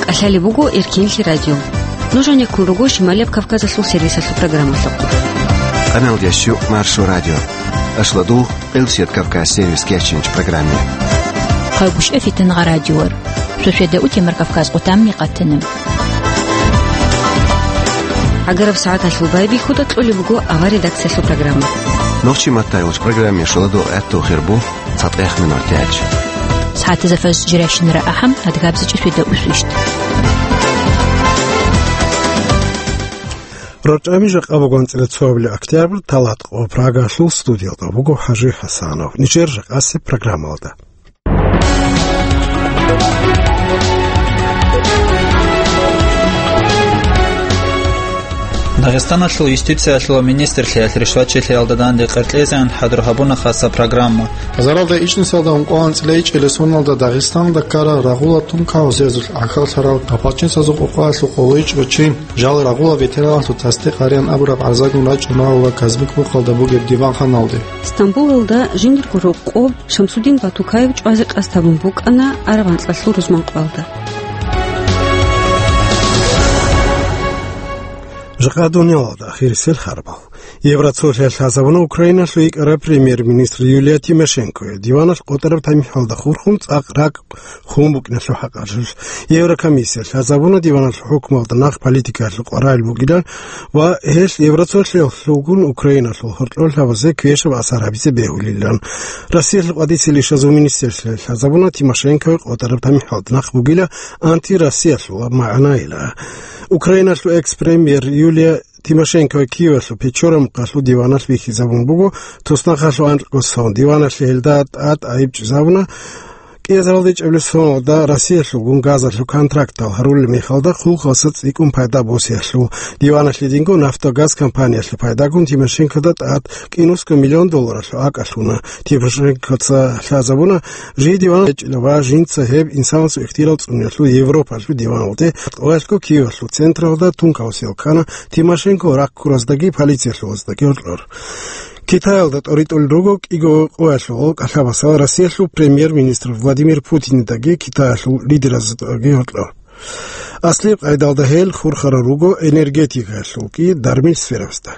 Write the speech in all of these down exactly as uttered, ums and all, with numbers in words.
КӀалъалеб буго Эркенлъи радио. Нуж гьанеккун руго Шималияб Кавказалъул сервисалъул программалъухъ. Къаналдящу Маршо радио. Ашладул Элсият Кавказ сервис кечинч программе. Хъагушев Фитнагъа радиор. Сосведа утемар Кавказ къутамни къатана. ГӀагараб сагӀаталъул байбихьуда кьолеб буго авар редакциялъул программа. Нохчи маттайулч программе шоладул гӀатту хирбу цатӀех минутач. СагӀатазафаз жиращинара ахӀам адгабзичӀи сосведа усвищ. РорчӀами жакъа бугонцӀила цоабилеб октябрь, талат къо Прагалъул студиялда буго ХӀажи ХӀасанов. Нижер жакъасе программалда. Дагъистаналъул юстициялъул министрлъиялъ ришвачилъиялда данде къеркьезегӀан хӀадур гьабуна хаса программа. Заралда ичӀнисалда ункъоялда анцӀила ичӀелесуналда Дагъистаналда ккарал рагъула тункаусезулъ гӀахьаллъарал, гапалчинсазул къокъоялъул къоло ичӀго чи, жал рагъула ветераналъул тасдикъ гьареян абураб гӀарзагун рачӀуна ва Казбек мухъалда бугеб диванханалде. Стамбулалда жиндирго рокъоб Шамсудин Батукаев чӀвазе къасд гьабун букӀана араб анкьалъул рузманкъоялда. Жакъа дуниялалда ахирисел хабар. Евроцолъиялъ лъазабуна Украиналъул йикӀараб премьер-министр Юлия Тимошенкоя диваналъ къотӀараб тамихӀалда хурхун цӀакъ ракӀ хун букӀиналъул хӀакъалъулъ. Еврокомиссиялъ лъазабуна диваналъул хӀукмуялда нахъ политикаялъул къваригӀел бугилан ва гьелъ Евроцолъиялъулгун Украиналъул гьоркьор лъабазе квешаб асар гьабизе бегьулилан. Россиялъул къватӀисел ишазул министрлъиялъ лъазабуна Тимошенкоя къотӀараб тамихӀалда нахъ бугила антироссиялъул магӀнайила. Украиналъул экс-премьер Юлия Тимошенкоя Киевалъул Печора мухъалъул диваналъ бихьизабун буго, туснахъалъул анкьго сон. Диваналъе гьелда тӀад айиб чӀезабуна. КӀиазаралда ичӀабилеб соналда Россиялъулгун газалъул контрактал гьарулел мехалда хъулухъалъа цӀикӀкӀун пайда босиялъул. Диваналъ гьединго «Нафтогаз» компаниялъе пайдагун Тимошенкода тӀад кӀинусго миллион долларалъул акӀалъуна. Тимошенкоца лъазабуна жий диван гьечӀила ва жинца гьеб инсанасул ихтияр цӀуниялъул Европалъул диваналде, къоялъго Киевалъул централда тункаусел ккана. Тимошенко рахъ ккураздаги полициялъулаздаги гьоркьор. Китаялда тӀоритӀулел руго кӀиго къоялъул гъол кӀалъабасал Россиялъул премьер-министр Владимир Путиндаги Китаялъул лидераздаги гьоркьор. Аслияб къайдалда гьел хурхарал руго энергетикаялъулги дармил сферабазда.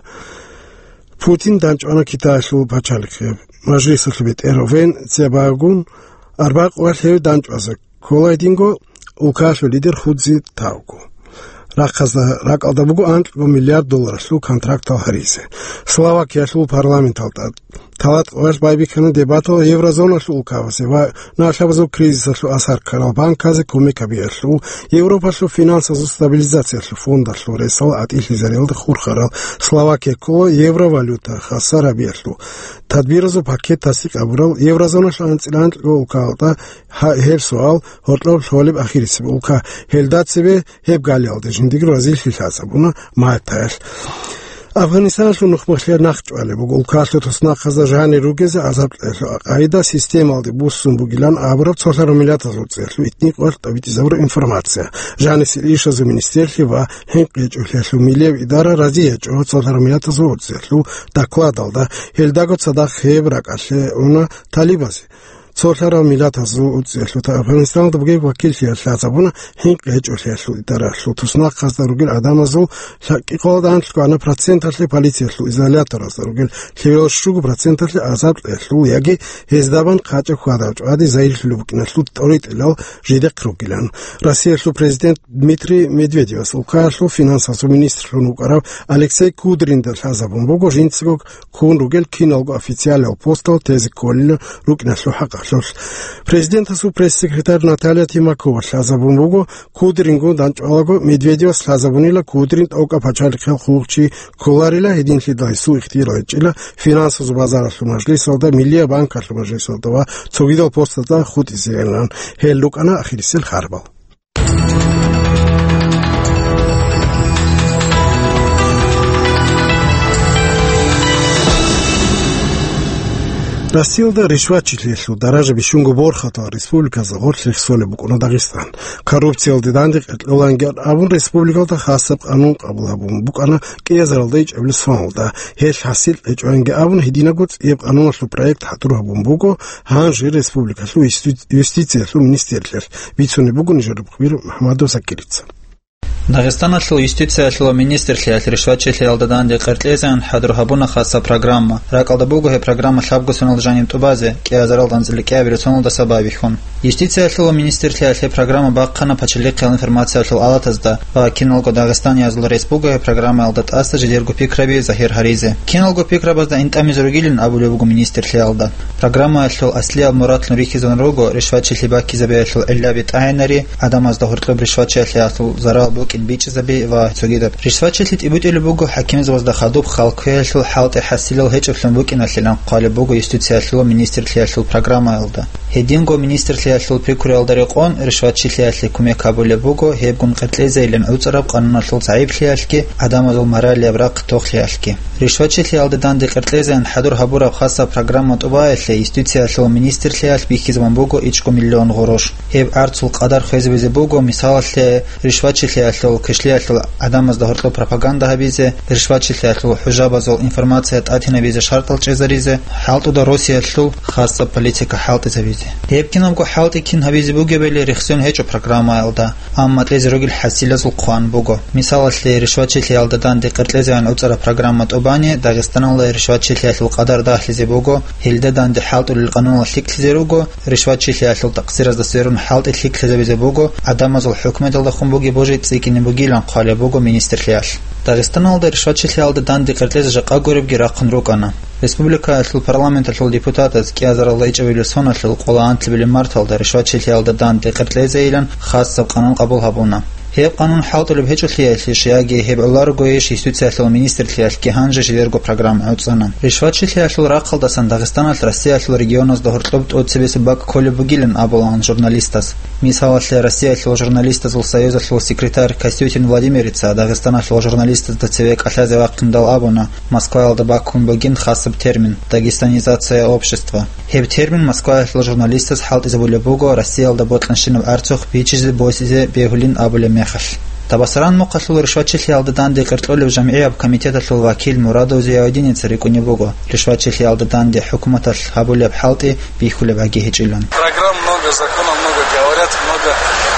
Путин данчӀвана Китаялъул пачалихъе. Мажлисалъул бетӀер Вен Цзябагун арбакъоялъ гьев данчӀвазе ккола гьединго улкаялъул лидер Ху Цзитаого. Рахъазда ракӀалда буго анкьго миллиард долларалъул контрактал гьаризе. Словакиялъул парламенталда талат къоялъ байбихьана дебатал еврозоналъул улкабазе ва налъабазул кризисалъул асар ккарал банказе кумек гьабиялъул, Европалъул финансазул стабилизациялъул фондалъул ресал гӀатӀилъизариялда хурхарал. Словакия ккола евровалюта хасар гьабиялъул тадбиразул пакет тасдикъ гьабурал еврозоналъул анцӀила анкьго улкаялда. Гьа-, гьеб суал гьоркьоб лъолеб ахирисеб улка. Гьелда цебе гьеб галиялде жиндирго разилъи лъазабуна Мальтаялъ. Афганистаналъул нухмахлъиялъ нахъ чӀвалеб буго улкалъул туснахъазда жанир ругезе гӀазаб кьелъул къагӀида системалде буссун бугилан абураб цолъараб миллатазул цӀехлъу итни къварт тӀабитӀизабураб информация. Жанисел ишазул министерлъи ва хӀинкъи гьечӀолъиялъул миллияб идара рази гьечӀо цолъараб миллатазул цӀехлъу докладалда. Гьелдаго цадахъ гьеб ракӀалъе уна талибазе. Цолъарал миллатазул уцӀиялъута Афганистаналда бугеб вакиллъиялъ лъазабуна хӀинкъи гьечӀолъиялъул идаралъул туснахъазда ругел гӀадамазул лъа-, кӀикъоялда анлъго проценталъе, полициялъул изоляторазда ругел лъивал щуго проценталъе азар кьелъул яги гьезда бан хъачӀеб хьвадаб чӀвади загьирлъулеб букӀиналъул тӀоритӀилал жидехъ ругилан. Россиялъул президент Дмитрий Медведевас улкаялъул финансазул министрлъун вукӀарав Алексей Кудринда лъазабун буго жинцаго ккун ругел киналго официалиял постал тезе кколел рукӀиналъул хӀакъалъулъ. Президентасул пресс-секретарь Наталья Тимакова лъазабун буго, Кудрингун данчӀвалаго Медведевас лъазабунила Кудрин тӀокӀаб пачалихъел хъулухъчи кколарила, гьединлъидал гьесул ихтияр гьечӀила финансазул базаралъул мажлисалда, Миллияб банкалъул мажлисалда ва цогидал постазда хутӀизейилан. Гьел рукӀана ахирисел харбал. Россиялда ришватчилъиялъул даража бищунго борхатал республиказда гъорлъ рехсолеб букӀуна Дагъистан. Коррупциялде данде къеркьоланги абун, республикалда хасаб къанун къабул гьабун букӀана кӀиазаралда ичӀабилеб соналда. Гьелъ хӀасил гьечӀоанги абун, гьединабго цӀияб къануналъул проект хӀадур гьабун буго гьанже республикалъул юсти-, юстициялъул министрлъиялъ, бицунеб буго нижер рукъбир МухӀамадов Закирица. Дагъистаналъул юстициялъул ва министрлъиялъ ришватчилъиялда данде къеркьезеян хӀадур гьабуна хасаб программа. РакӀалда буго гьеб программа лъабго соналда жаниб тӀубазе, кӀиазаралда анцӀила кӀиабилеб соналдаса байбихьун. Юстициялъул ва министрлъиялъ гьеб программа бахъана пачалихъиял информациялъул алатазда ва киналго дагъистаниязул рес буго гьеб программаялда тӀаса жидерго пикраби загьир гьаризе. Киналго пикрабазда интӀамизе ругилин абулеб буго министрлъиялда. Программаялъул аслияб мурадлъун рихьизабун руго ришватчилъи баккизабиялъул гӀиллаби тӀагӀинари, гӀадамазда гьоркьоб ришватчилъиялъул зарал букӀин бичӀчӀизаби ва цогидаб. Ришватчилъи тӀибитӀулеб буго хӀакимзабазда хадуб хал кквеялъул хӀалтӀи хӀасилал гьечӀеблъун букӀиналъилан хъвалеб буго юстициялъул ва министрлъиялъул программаялда. Гьединго министрлъиялъул пикруялда рекъон ришватчилъиялъе кумек гьабулеб буго гьебгун къеркьезейилан гӀуцӀараб къануналъул загӀиплъиялъги гӀадамазул моралияб рахъ тохлъиялъги. Ришватчилъиялда данде къеркьезеян хӀадур гьабураб хасаб программа тӀубаялъе юстициялъул министрлъиялъ бихьизабун буго ичӀго миллион гъурущ. Гьеб гӀарцул къадар хвезабизе буго, мисалалъе, ришватчилъиялъул квешлъиялъул гӀадамазда гьоркьоб пропаганда гьабизе, ришватчилъиялъул хӀужабазул информация тӀатинабизе шартӀал чӀезаризе, хӀалтӀуда росиялъул хасаб политика хӀалтӀизабизе. Гьеб кинабго хӀалтӀи кин гьабизе бугебали рехсон гьечӀо программаялда. Амма кьезе ругел хӀасилазул хъван буго. Мисалалъе, ришватчилъиялда данде къеркьезеян гӀуцӀараб программа тӀубани Дагъистаналда ришватчилъиялъул къадар дагьлъизе буго, гьелда данде хӀалтӀулел къануналъ лъикӀлъизе руго, ришватчилъиялъул такъсиразда сверун хӀалтӀи лъикӀлъизабизе буго, гӀадамазул хӀукуматалдехун бугеб божи цӀикӀкӀине бугилан хъвалеб буго министрлъиялъ. Дагъистаналда ришватчилъиялда данде къеркьезе жакъа гуребги рахъун рукӀана. Республикаялъул парламенталъул депутатаз кӀиазаралда ичӀабилеб соналъул къоло анлъабилеб марталда ришватчилъиялда данде къеркьезейилан хасаб къанун къабул гьабуна. Гьеб къанун хӀалтӀулеб гьечӀолъиялъищ яги гьеб гӀоларогойищ юстициялъул министрлъиялъги гьанже жидерго программа гӀуцӀана. Ришватчилъиялъул рахъалдасан Дагъистаналъ Россиялъул регионазда гьоркьоб тӀоцебесеб бакӀ кколеб бугилан абулаан журналистаз. Мисалалъе, Россиялъул журналистазул союзалъул секретарь Костютин Владимирица Дагъистаналъул журналистазда цеве кӀалъазе вахъиндал абуна, Москваялда баккун бугин хасаб термин «дагестанизация общества». Гьеб термин Москваялъул журналистаз хӀалтӀизабулеб буго Россиялда бокьанщинаб гӀарцухъ бичӀчӀизе босизе бегьулин абулеб мехалъ. Табасаран мухъалъул ришватчилъиялда данде къеркьолеб жамгӀияб комитеталъул вакил Мурадов Зияудиница рикӀкӀунеб буго, ришватчилъиялда данде хӀукуматалъ гьабулеб хӀалтӀи бихьулеб гӀаги гьечӀилан. Программ много, законов много, говорят много,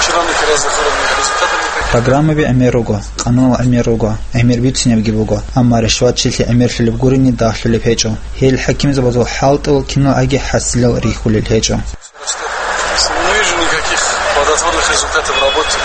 чиновники разных уровней, результатов никаких. Программаби гӀемер руго, къанунал гӀемер руго, гӀемер бицунебги буго, амма ришватчилъи гӀемерлъулеб гурони дагьлъулеб гьечӀо. Гьел хӀакимзабазул хӀалтӀул кинал гӀаги хӀасилал рихьулел гьечӀо. Не вижу никаких плодотворных результатов работы.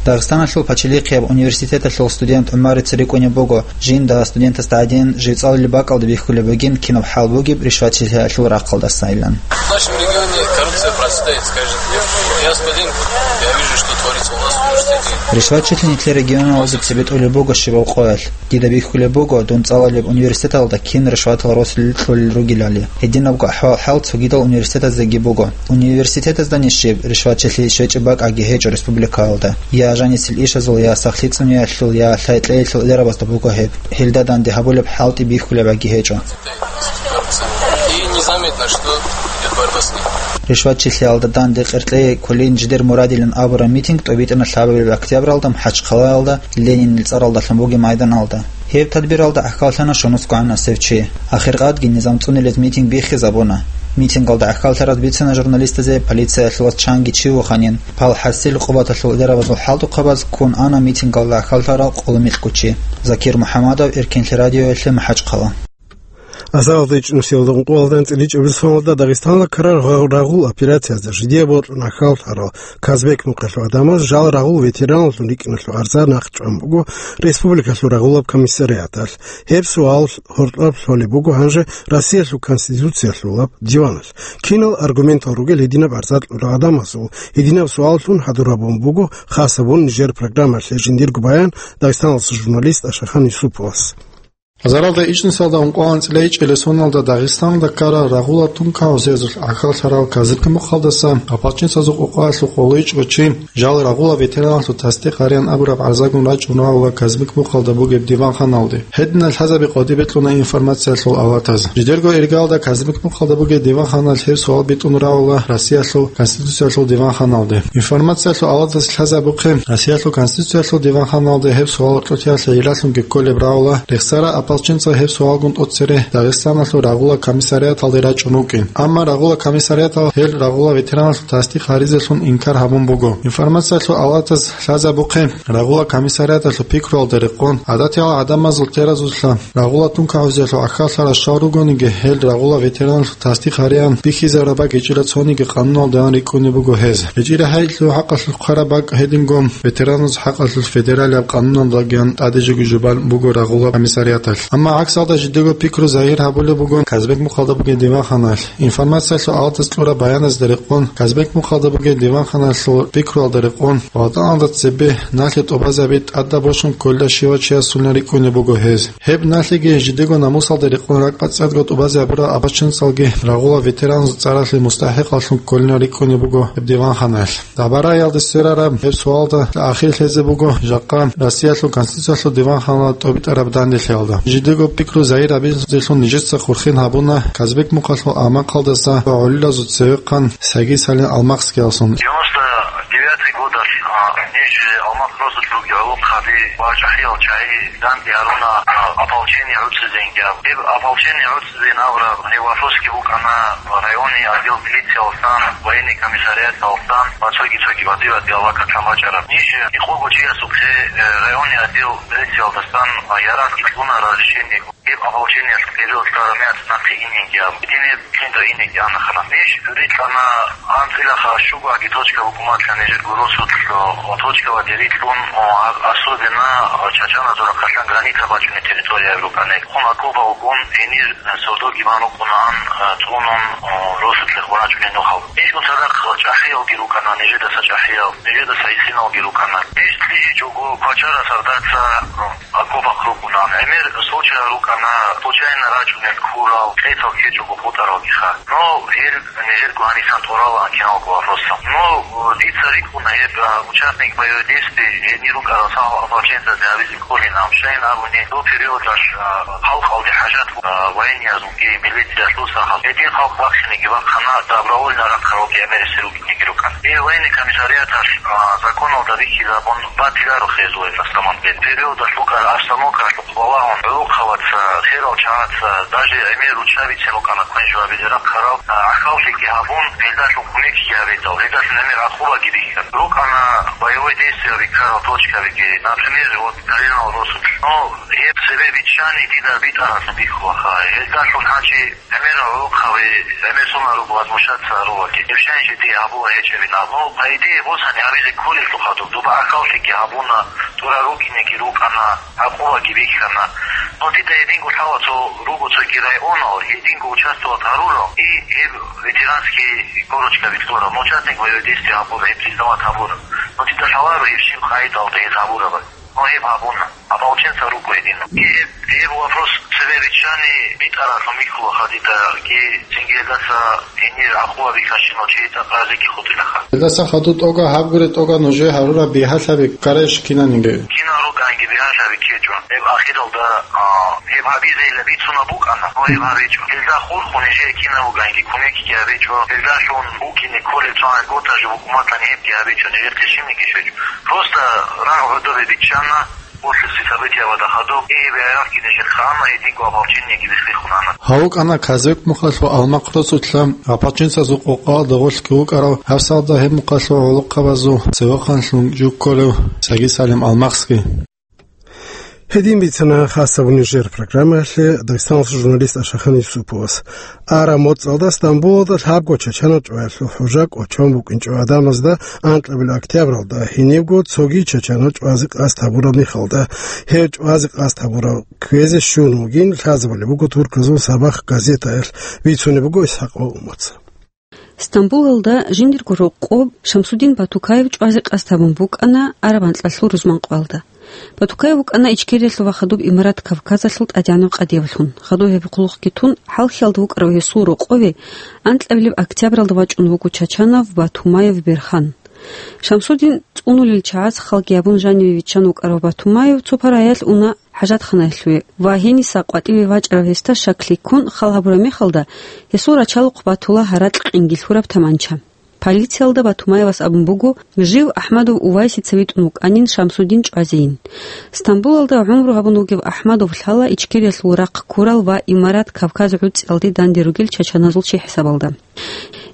Дагъистаналъул пачалихъияб университеталъул студент ГӀумарица рикӀкӀунеб буго, жинда студентасда гӀадин, жив цӀалулеб бакӀалда бихьулеб бугин кинаб хӀал бугеб ришватчилъиялъул рахъалдасайилан. В нашем регионе коррупция процветает с каждым днём. Я студент, я вижу, что творится у нас в университете. Ришватчилъи нилъер регионалда цебетӀулеб буго щибаб къоялъ. Дида бихьулеб буго, дун цӀалулеб университеталда кин ришватал росулел кьолел ругелали. Гьединабго ахӀвал-хӀал цогидал университетаздеги буго. Университетазда нижеб ришватчилъи щвечӀеб бакӀаги гьечӀо республикаялда. Я жанисел ишазул, я сахлъи цӀуниялъул, я лъай-кьеялъул иларабазда буго гьеб. Гьелда данде гьабулеб хӀалтӀи бихьулеб гӀаги гьечӀо. И незаметно, что идёт борьба с ним. Ришватчилъиялда данде къеркьей кколин жидер мурадилан абураб митинг тӀобитӀана лъабабилеб октябралда МахӀачхъалаялда Ленинил цӀаралдалъун бугеб майданалда. Гьеб тадбиралда гӀахьаллъана щунусгогӀан асев чи. Ахиркъадги низам цӀунилез митинг биххизабуна. Митингалда гӀахьаллъараз бицана журналистазе полициялъулаз чанги чи вуханин, пал хӀасил къубаталъул иларабазул хӀалтӀухъабаз ккун ана митингалда гӀахьаллъарал къоло микьго чи. Закир МухӀамадов, Эркенлъи радиоялъе, МахӀачхъала. Азаралда ичӀнусиялда ункъоялда анцӀила ичӀабилеб соналда Дагъистаналда ккарал рагъул операциязда жидее бокьун гӀахьаллъарал Казбек мухъалъул гӀадамаз жал рагъул ветераналъун рикӀкӀиналъул гӀарза нахъчӀван буго республикалъул рагъулаб комиссариаталъ. Гьеб суал гьоркьоб лъолеб буго гьанже Россиялъул Конституциялъулаб диваналъ. Кинал аргументал ругел гьединаб гӀарза кьурал гӀадамазул? Гьединаб суаллъун хӀадур гьабун буго хасабун нижер программалъе жиндирго баян Дагъистаналъул журналист Ашахан Юсуповас. Заралда ичӀнисалда ункъоялда анцӀила ичӀелесуналда Дагъистаналда ккарал рагъула тункагьузезулъ гӀахьаллъарал Казбек мухъалдаса ополченцазул къокъаялъул къоло ичӀго чи жал рагъула ветераналъул тасдикъ гьареян абураб гӀарзагун рачӀун равула Казбек мухъалда бугеб диванханалде. Гьединал лъазаби къотӀи бекьуна информациялъул авлатаз. Жидерго иргаялда Казбек мухъалда бугеб диванханалъ гьеб суал битӀун равула Россиялъул Конституциялъул диванханалде. Информациялъул авлатаз лъазабухъе, Россиялъул Конституциялъул диванханалде гьеб суал кьолъиялъе гӀиллалъунги кколеб равула рехсарал ополченцаз гьеб суалгун тӀоцере Дагъистаналъул рагъула комиссариаталде рачӀун рукӀин. Амма рагъула комиссариаталъ гьел рагъула ветераналъул тасдикъ гьаризелъун инкар гьабун буго. Информациялъул авлатаз лъазабухъе, рагъула комиссариаталъул пикруялда рекъон, гӀадатиял гӀадамазул терезулъа рагъула тункагьузеялъул гӀахьаллъарал щал ругониги, гьел рагъула ветераналъул тасдикъ гьареян бихьизараб бакӀ гьечӀила цониги къануналдаян рикӀкӀунеб буго гьез. ГьечӀила гьелъул хӀакъалъулъ хъвараб бакӀ гьедингун ветераналъул хӀакъалъулъ федералияб къануналдагиян тӀадежиги жубан буго рагъула комиссариаталъ. Амма гӀаксалда жидего пикру загьир гьабулеб буго Казбек мухъалда бугеб диванханалъ. Информациялъул авлатаз кьураб баяназда рекъон, Казбек мухъалда бугеб диванханалъул пикруялда рекъон, ватӀаналда цебе налъи тӀубазаби тӀадаб босун кколила щивав чиясулин рикӀкӀунеб буго гьез. Гьеб налъиги жидего намусалда рекъон ракӀбацӀцӀадго тӀубазе гьабурал ополченцазги рагъула ветераназул цӀаралъе мустахӀикъаллъун кколин рикӀкӀунеб буго гьеб диванханалъ. Дагьбараялде сверараб гьеб суалда ахир лъезе буго жакъа Россиялъул Конституциялъул диванханалда тӀобитӀараб данделъиялда. Жидего пикру загьир гьабизелъун нижеца хурхин гьабуна Казбек мухъалъул амакъалдаса ва гӀолилазул цевехъан Саги Салим Алмахскиясун. Девяносто девятый годалъ, а, ниж Алмахъ росулъ ругел гӀолохъаби ва чӀахӀиял чагӀи данде гьаруна, а, ополчение гӀуцӀизейин абун. Гьеб ополчение гӀуцӀизейин абураб гьеб вопросги букӀана районный отдел милициялдасан, военный комиссариаталдасан ва цоги-цоги бадибаде алакатлъан бачӀараб. Ниж гьикъого чиясухъе, э, районный отдел милициялдасан, а, ярагъги кьуна разрешение. Гьеб ополчениялъул периодалда рамиаца нахъе инеги абун. Гьединаб жинда инеги ана ханас. Ниж рикьана анцӀила ха щуго аги точка букӀуматлъа нижерго росулъ, о, точка ва дерилъун, о, а-, особенно, о, чачаназул рахъалъан граница бачунеб территория рукӀана. Хун окопа вугун, гьенир, э, сордоги бан рукӀунаан, э, цӀунун, о, росулъе хварачӀунел нухал. Нижгун цадахъ чӀахӀиялги рукӀана, нижедаса чӀахӀиял, нижедаса гӀисиналги рукӀана. Ниж лъижичӀого квачара сардаца, о, окопахъ рукӀунаан. ГӀемер случай рукӀана, случайно рачӀунел ккурал, кьецал ккечӀого хутӀаралгиха. Но гьел нижерго гьанисан тӀуралаан киналго вопросал. Но, э, дица рикӀкӀуна гьеб, э, участник боевой действий гьенир рукӀарал сахал ополченцазе гьабизе кколин, амма щайин абуни, доб периодалъ, э, халкъалде хӀажат, э, военниязулги милициялъул сахал. Гьедин халкъ бахшинеги бахъана, добровольно рахъаралги гӀемерисел рукӀинеги рукӀана. Гьеб военный комиссариаталъ, э, законалда бихьизабун батиларо хезулай на самом деле. Периодалъ букӀараб обстановкалъухъ балагьун, гӀолохъабаца, херал чагӀаца, даже гӀемер руччабицин рукӀана квен-щвабизе рахъарал, а, гӀахьаллъиги гьабун, гьелдалъун кумекги гьабидал, гьелдалъун гӀемер гӀакъубаги бихьана. РукӀана боевой действиял риккарал точкабиги, например, вот, Калинал росулъ. Но гьеб цебе биччани дида битӀаралъун бихьулаха. Гьелдалъун гьанчи гӀемерал гӀолохъаби, гӀемер соналъухъ возмущаться гьарулаги, гьеб щайин жиде гьабула гьечӀебин абун. Но, по идее, босани гьабизе кколелъул хадуб, доба гӀахьаллъиги гьабуна, тӀурал рукӀинеги рукӀана, гӀакъубаги бихьана. Но дида гьединго лъала цо руго цоги районал, гьединго участвовать гьарурал, и гьеб ветеранский корочка бихьуларал, но участник боевой действий гьабурал, гьеб признавать гьабурал. Но дида лъаларо гьеб щиб къагӀидалда гьез гьабурабали. Но гьеб гьабуна. Ополченца руго гьедин. Гьеб, гьеб вопрос цебе биччани битӀаралъун бихьулаха дида, гьеб цинги гьелдаса гьенир гӀакъуба бихьанщинал чи тӀакъазеги хутӀилаха. Гьелдаса хадуб тӀока гьабгури тӀока нужее гьарураб бигьалъаби ккарайищ кинаниги? Кинал рукӀанги бигьалъаби ккечӀо. Гьеб ахиралда, а, гьеб гьабизейилан бицунеб букӀана, но гьеб гьабичӀо. Гьелда хурхун нижее кинаб букӀанги кумекги гьабичӀо. Гьелдалъун букӀине кколеб цо гӀан готазе букӀуматлъани гьебги гьабичӀо, нижехъе щибниги щвечӀо. Просто рагъ гӀодобе биччана, после событиябада хадуб, и гьеб гӀерахъги нижехъе ана, гьединго ополчениеги биххихъун ана. Гьав вукӀана Казбек мухъалъул Алмахъ росулъа ополченцазул къокъаялда гъорлъги вукӀарав, гьабсагӀатда гьеб мухъалъул гӀолохъабазул цевехъанлъун жо кколев Саги Салим Алмахъский. Гьедин бицана хасаб нижер программаялъе Дагъистаналъул журналист Ашахан Юсуповас. Араб моцӀалда Стамбулалда лъабго чачанал чӀваялъул хӀужа кӀочон букӀинчӀо гӀадамазда анкьабилеб октябралда, гьенибго цоги чачанал чӀвазе къасд гьабураб мехалда. Гьеб чӀвазе къасд гьабурал кквезе щун вугин лъазабулеб буго турказул «Сабах» газетаялъ, бицунеб буго Исхакъ Умаца. Стамбулалда жиндирго рокъоб Шамсудин Батукаев чӀвазе къасд гьабун букӀана араб анкьалъул рузманкъоялда. Батукаев вукӀана Ичкериялъул ва хадуб Имарат Кавказалъул тӀадегӀанав къадиявлъун. Хадуб гьеб хъулухъги тун, хӀалхьиялда вукӀарав гьесул рокъове анкьабилеб октябралда вачӀун вуго Чачанов Батумаев Берхан. Шамсудин цӀунулел чагӀаз халги гьабун жаниве виччан вукӀарав Батумаев цо параялъ уна хӀажатханаялъуве ва гьениса къватӀиве вачӀарав гьесда шаклъи ккун хал гьабураб мехалда, гьесул рачалухъ батула гьаракь къинги лъураб таманча. Полициялда Батумаевас абун буго, жив АхӀмадов Увайсица витӀун вукӀанин Шамсудин чӀвазейин. Стамбулалда гӀумру гьабун вугев АхӀмадов лъала Ичкериялъул рахъ ккурал ва Имарат Кавказ гӀуцӀиялде данде ругел чачаназул чи хӀисабалда.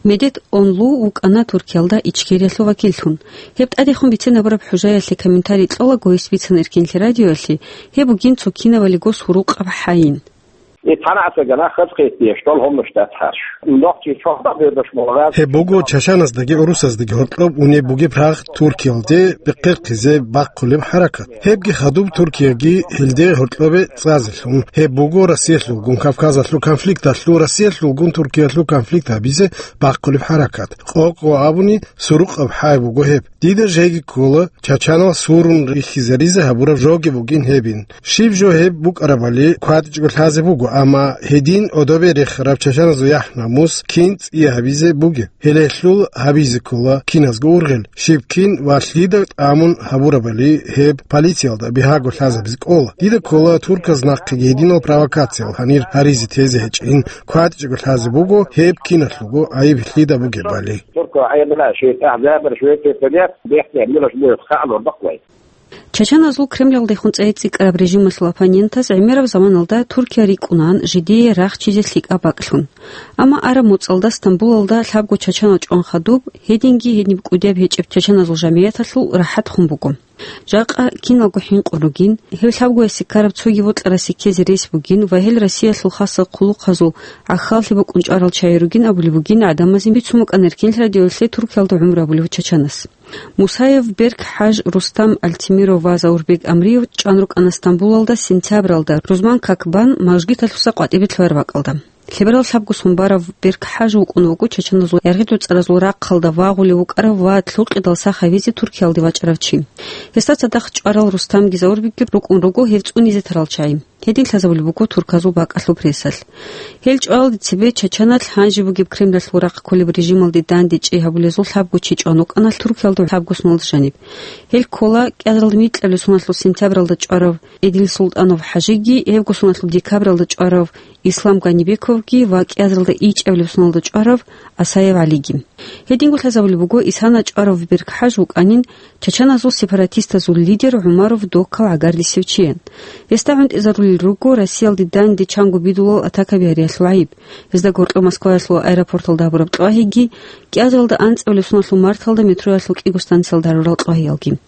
Медет Онлу вукӀана Туркиялда Ичкериялъул вакиллъун. Гьеб тӀадехун бицен гьабураб хӀужаялъе комментарий кьолаго гьес бицана Эркенлъи радиоялъе, гьеб бугин цо кинабали гос гьурукъаб хӀайин. Итхана асагана хазхъетие, что лгомно штат харш. Нохчи чохда бедош молгаз. Гьеб буго чачаназдаги гӀурусаздаги гьоркьоб унеб бугеб рагъ Туркиялде бехъерхъизе бахъулеб хӀаракат. Гьебги хадуб Туркияги гьелде гьоркьобе цӀазелъун. Гьеб буго Россиялъулгун Кавказалъул конфликталъул, Россиялъулгун Туркиялъул конфликт гьабизе бахъулеб хӀаракат. Къо-къо абуни, сурукъаб хӀай буго гьеб. Дида жеги ккола, чачанал сурун рихьизаризе гьабураб жоги бугин гьебин. Щиб жо гьеб букӀарабали кватӀичӀго лъазе буго, амма гьедин гӀодобе рехараб чачаназул яхӀ-намус кин цӀия гьабизе бугеб? Гьелелъул гьабизе ккола киназго ургъел, щиб кин ва лъида тӀамун гьабурабали гьеб полициялда бигьаго лъазабизе кӀола. Дида ккола, турказ нахъеги гьединал провокациял гьанир гьаризе тезе гьечӀин, кватӀичӀго лъазе буго гьеб киналъулго гӀайиб лъида бугебали. Турко гӀемила шайтӀа гӀазабар шуететалият бехтиан милаш бугеб хӀалур бакъвай. Чачаназул Кремлалдехун цӀей цӀикӀкӀараб режималъул оппонентаз гӀемераб заманалда Туркия рикӀкӀунаан жидее рахчизе лъикӀаб бакӀлъун. Амма араб муцӀалда Стамбулалда лъабго чачанал чӀван хадуб, гьединги гьениб кӀудияб гьечӀеб чачаназул жамигӀяталъул рахӀат хун буго. Жакъа киналго хӀинкъун ругин, гьев лъабгоясе ккараб цоги вокьарасе ккезе рес бугин ва гьел Россиялъул хасал хъулухъазул гӀахьаллъи букӀун чӀварал чагӀи ругин абулеб бугин гӀадамазе бицун букӀана Эркенлъи радиоялъе Туркиялда гӀумру гьабулев чачанас. Мусаев Берк-ХӀаж Рустам Альтимиров ва Заурбек Амриев чӀван рукӀана Стамбулалда сентябралда рузман как бан мажгиталъуса къватӀибе лъугьараб бакӀалда. Лъеберал лъабго сон барав Берк-ХӀаж вукӀун вуго чачаназул яргъи-доцӀаразул рахъалда вагъулев вукӀарав ва лъукъидал сах гьавизе Туркиялде вачӀарав чи. Гьесда цадахъ чӀварал Рустамги Заурбекги рукӀун руго гьев цӀунизе тарал чагӀи. Гьедин лъазабулеб буго турказул бакӀалъул прессалъ. Гьел чӀвалалде цебе чачаналъ гьанже бугеб Кремлалъул рахъ кколеб режималде дандечӀей гьабулезул лъабго чи чӀван вукӀана Туркиялда лъабго соналда жаниб. Гьел ккола кӀиазаралда микьабилеб соналъул сентябралда чӀварав Эдил Султанов ХӀажиги, гьебго соналъул декабралда чӀварав Ислам Ганибековги ва кӀиазаралда ичӀабилеб соналда чӀварав Асаев ГӀалиги. Гьединго лъазабулеб буго, Исана чӀварав Берк-ХӀаж вукӀанин чачаназул сепаратистазул лидер ГӀумаров Докал гӀагардисев чиян. Гьесда гӀунтӀизарулел руго Россиялде данде чанго бидулал атакаби гьариялъул гӀайиб, гьезда гьоркьоб Москваялъул аэропорталда гьабураб кьвагьиги, кӀиазаралда анцӀабилеб соналъул марталда метроялъул кӀиго станциялда гьарурал кьвагьиялги.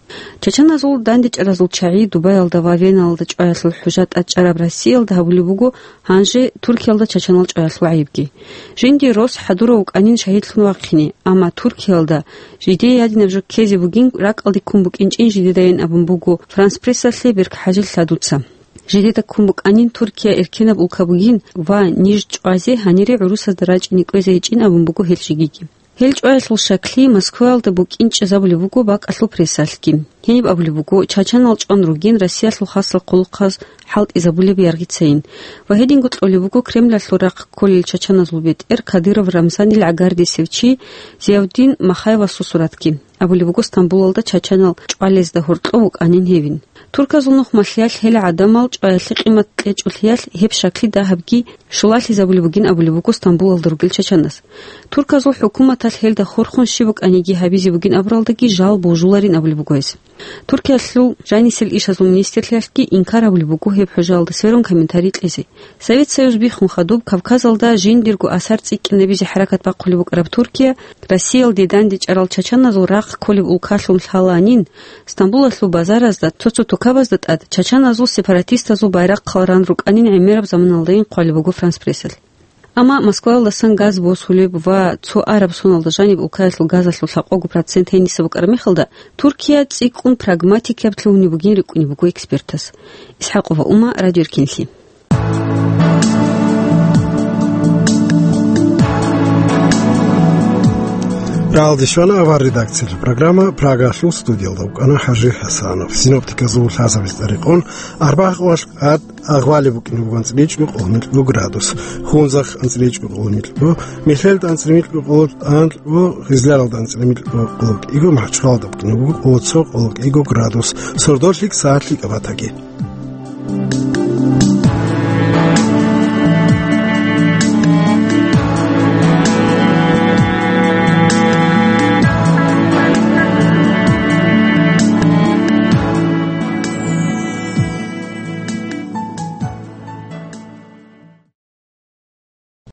Чачаназул дандечӀаразул чагӀи Дубаялда ва Веналда чӀваялъул хӀужа тӀад чӀараб Россиялда гьабулеб буго гьанже Туркиялда чачанал чӀваялъул гӀайибги. Жинди рос хӀадурав вукӀанин шагьидлъун вахъине, амма Туркиялда жидее гьадинаб жо ккезе бугин ракӀалде ккун букӀинчӀин жидедайин абун буго Франс Прессалъе Берк-ХӀажил лъадуца. Жидеда ккун букӀанин Туркия эркенаб улка бугин ва ниж чӀвазе гьанире гӀурусазда рачӀине кӀвезе гьечӀин абун буго гьел жигиги. Гьел чӀваялъул шаклъи Москваялда букӀинчӀезабулеб буго бакӀалъул прессалъги. Гьениб абулеб буго, чачанал чӀван ругин Россиялъул хасал хъулухъаз хӀалтӀизабулеб яргъицайин. Ва гьединго кьолеб буго Кремлалъул рахъ кколел чачаназул бетӀер Кадыров Рамзанил гӀагардисев чи Зиявдин Махаевасул суратги. Абулеб буго, Стамбулалда чачанал чӀвалезда гьоркьов вукӀанин гьевин. Турказул нухмалъиялъ гьел гӀадамал чӀваялъе къимат кьечӀолъиялъ гьеб шаклъи дагьабги щулалъизабулеб бугин абулеб буго Стамбулалда ругел чачанас. Турказул хӀукуматалъ гьелда хурхун щиб букӀаниги гьабизе бугин абуралдаги жал божуларин абулеб буго гьес. Туркиялъул жанисел ишазул министрлъиялъги инкар гьабулеб буго гьеб хӀужаялда сверун комментарий кьезе. Совет Союз биххун хадуб Кавказалда жиндирго асар цӀикӀкӀинабизе хӀаракат бахъулеб букӀараб Туркия Россиялде дандечӀарал чачаназул рахъ кколеб улкалъун лъаланин, Стамбулалъул базаразда, цо-цо тукабазда тӀад чачаназул сепаратистазул байрахъал ран рукӀанин гӀемераб заманалдайин хъвалеб буго Франс Прессалъ. Амма Москваялдасан газ босулеб ва цо араб соналда жаниб улкаялъул газалъул лъабкъого процент гьениса букӀараб мехалда, Туркия цӀикӀкӀун прагматикаб лъугьунеб бугин рикӀкӀунеб буго экспертас. ИсхӀакъова Ума, Радио Эркенлъи. Алдищвана авар редакциялъул программа. Прагалъул студиялда вукӀана ХӀажи ХӀасанов. Синоптиказул лъазабиз тӀарикъун, арбагъвалъ тӀад агъвалеб букӀине буго анцӀила чӀужу, къоло градус. Хунзахъ анцӀила чӀужу, къоло градус. Мехьелда анцӀила чӀужу, къоло градус. Хизларалда анцӀила чӀужу, къоло градус. МахӀачхъалада букӀине буго къоло цо, къоло градус. Сордолъи сагӀатлъи кӀабатаги.